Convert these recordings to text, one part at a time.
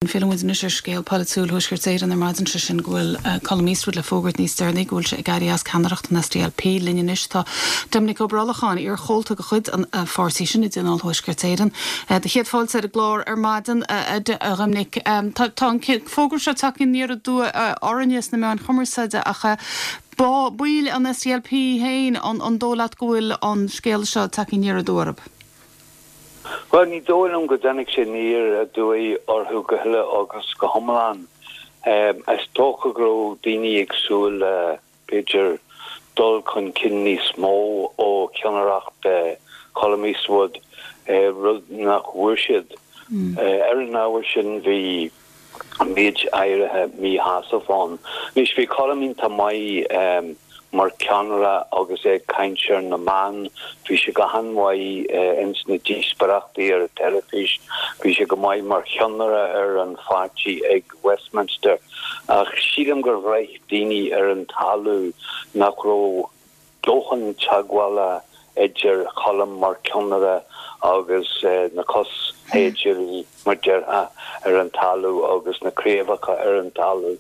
Filleann muid anois ar scéal polaitiúil Thuaisceart Éireann ar maidin, sé sin go bhfuil Colm Eastwood le fógairt níos deireanaí go bhfuil sé ag éirí as ceannaireacht an SDLP. Linn anois tá Doimnic Ó Brollacháin, iar-chomhalta de chuid an pháirtí sin i dTionól Thuaisceart Éireann. Do chéad fáilte ar an gclár ar maidin, a Dhoimnic. Tá an fógra seo tagtha aniar aduaidh orainne sna meáin chumarsáide ach baill an SDLP féin, an dóigh leat go bhfuil an scéal seo tagtha aniar aduaidh orthu? Bhuel, ní dóigh liom go dtáinig sé aniar aduaidh orthu go huile agus go hiomlán. Is dócha go raibh daoine ag súil le, b'fhéidir, dul chun cinn níos mó ó cheannaireacht Colm Eastwood, rud nach bhfuair siad. Ar an ábhar sin, bhí. méid áirithe míshásamh ann. Anois, bhí Colm iontach maith mar cheannaire agus é ag caint ar na meáin, bhí sé go han-mhaith ins na díospóireachtaí ar an teilifís, bhí sé go maith mar cheannaire ar an pháirtí ag Westminster ach sílim gur bhraith daoine ar an talamh nach raibh dóthain teagmhála idir Cholm mar cheannaire agus na cos-shaighdiúirí, mar déarfá, ar an talamh agus na craobhacha ar an talamh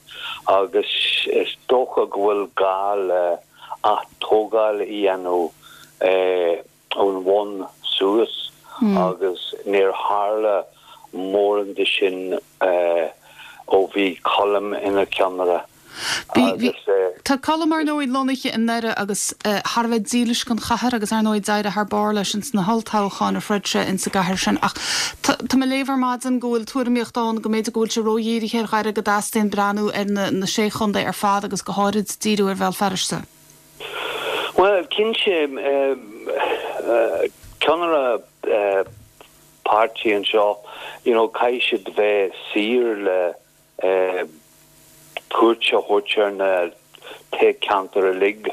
agus is dócha go bhfuil gá le ath-tógáil a dhéanamh ón bhun suas agus níor tharla mórán de sin ó bhí Colm ina cheannaire. Bhí, tá Colm, ar ndóigh, lonnaithe i nDoire agus thar a bheith dílis don chathair agus, ar ndóigh, d'éirigh thar barr leis ins na holltoghcháin a throid sé ins an gcathair sin. Ach tá mé ag léamh ar maidin go bhfuil tuairimíocht ann go mb'fhéidir go bhfuil sé ródhírithe ar Dhoire, go dteastaíonn breathnú ar na sé chontae ar fad agus go háirid díriú ar Bhéal Feirste. Bhuel, cinnte, ceannaire páirtí anseo, you know, caithfidh siad bheith saor le cuairt a thabhairt ar na toghcheantair uilig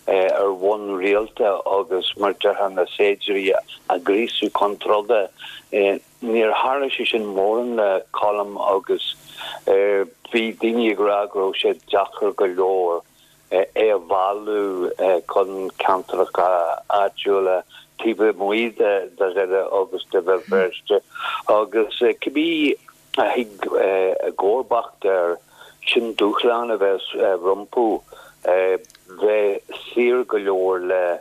ar bhonn rialta agus mar déarfá na saighdiúirí a ghríosadh chun troda. Níor tharla sé sin mórán le Colm agus bhí daoine ag rá go raibh sé deacair go leor é a mhealladh chun ceantracha áitiúla taobh amuigh de Dhoire agus de Bhéal Feirste agus cibé a thig i gcomharbacht air, sin dúshlán a bheas rompu, bheith saor go leor le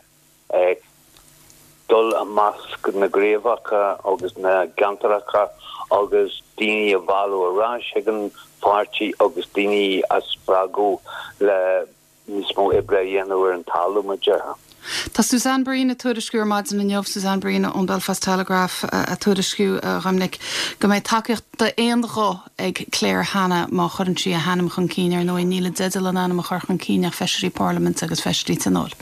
dul i measc na gcraobhacha agus na gceantracha agus daoine a mhealladh ar ais chuig an pháirtí agus daoine a spreagadh le níos mó oibre a dhéanamh ar an talamh, mar déarfá. Tá Suzanne Breen ag tuairisciú ar maidin inniu, Suzanne Breen ón Belfast Telegraph ag tuairisciú, a Dhoimnic, go mbeidh tacaíocht d'aon ghuth ag Claire Hanna má chuireann sí a hainm chun cinn. Ar ndóigh, níl i dteideal a n-ainm a chur chun cinn ach feisirí parlaiminte agus feisirí tionóil.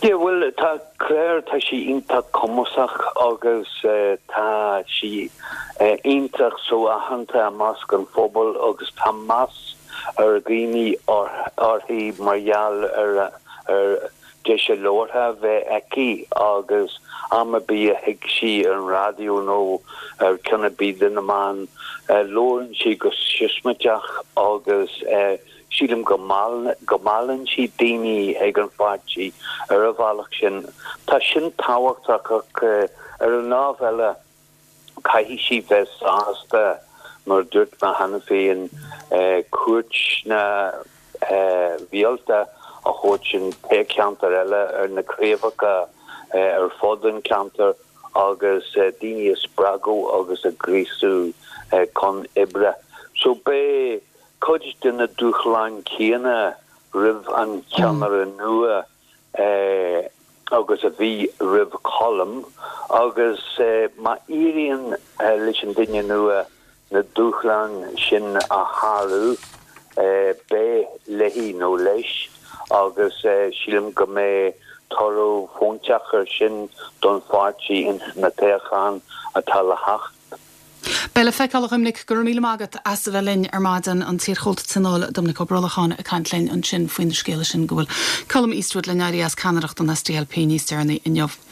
Yeah, bhuel, tá Claire, tá sí iontach cumasach agus tá sí iontach so-aitheanta i measc an phobail agus tá meas ar dhaoine uirthi mar gheall ar ar deis a labhartha a bheith aici agus am ar bith a thig sí ar an raidió nó ar ceann ar bith de na meáin, labhrann sí go siosmaideach agus Sílim go go meallann sí daoine ag an pháirtí ar an bhealach sin. Tá sin tábhachtach ach ar an lámh eile caithfidh sí bheith sásta, mar a dúirt mé cheana féin, cuairteanna rialta a thabhairt in toghcheantair eile ar na craobhacha ar fud an cheantair agus daoine a spreagadh agus a ghríosú chun oibre. So beidh cuid de na dúshláin chéanna roimh an cheannaire nua agus a bhí roimh Cholm agus má éiríonn leis an duine nua na dúshláin sin a shárú, beidh léi nó leis agus sílim go mbeidh toradh fóinteach air sin don pháirtí ins na toghcháin atá le theacht. Beidh le feiceáil, a Dhoimnic. Go raibh míle maith agat as a bheith linn ar maidin. An t-iarchomhalta Tionóil, Doimnic Ó Brollacháin, ag caint linn ansin faoin scéala sin go bhfuil Colm Eastwood le n-éirí as ceannaireacht an SDLP níos deireanaí inniu.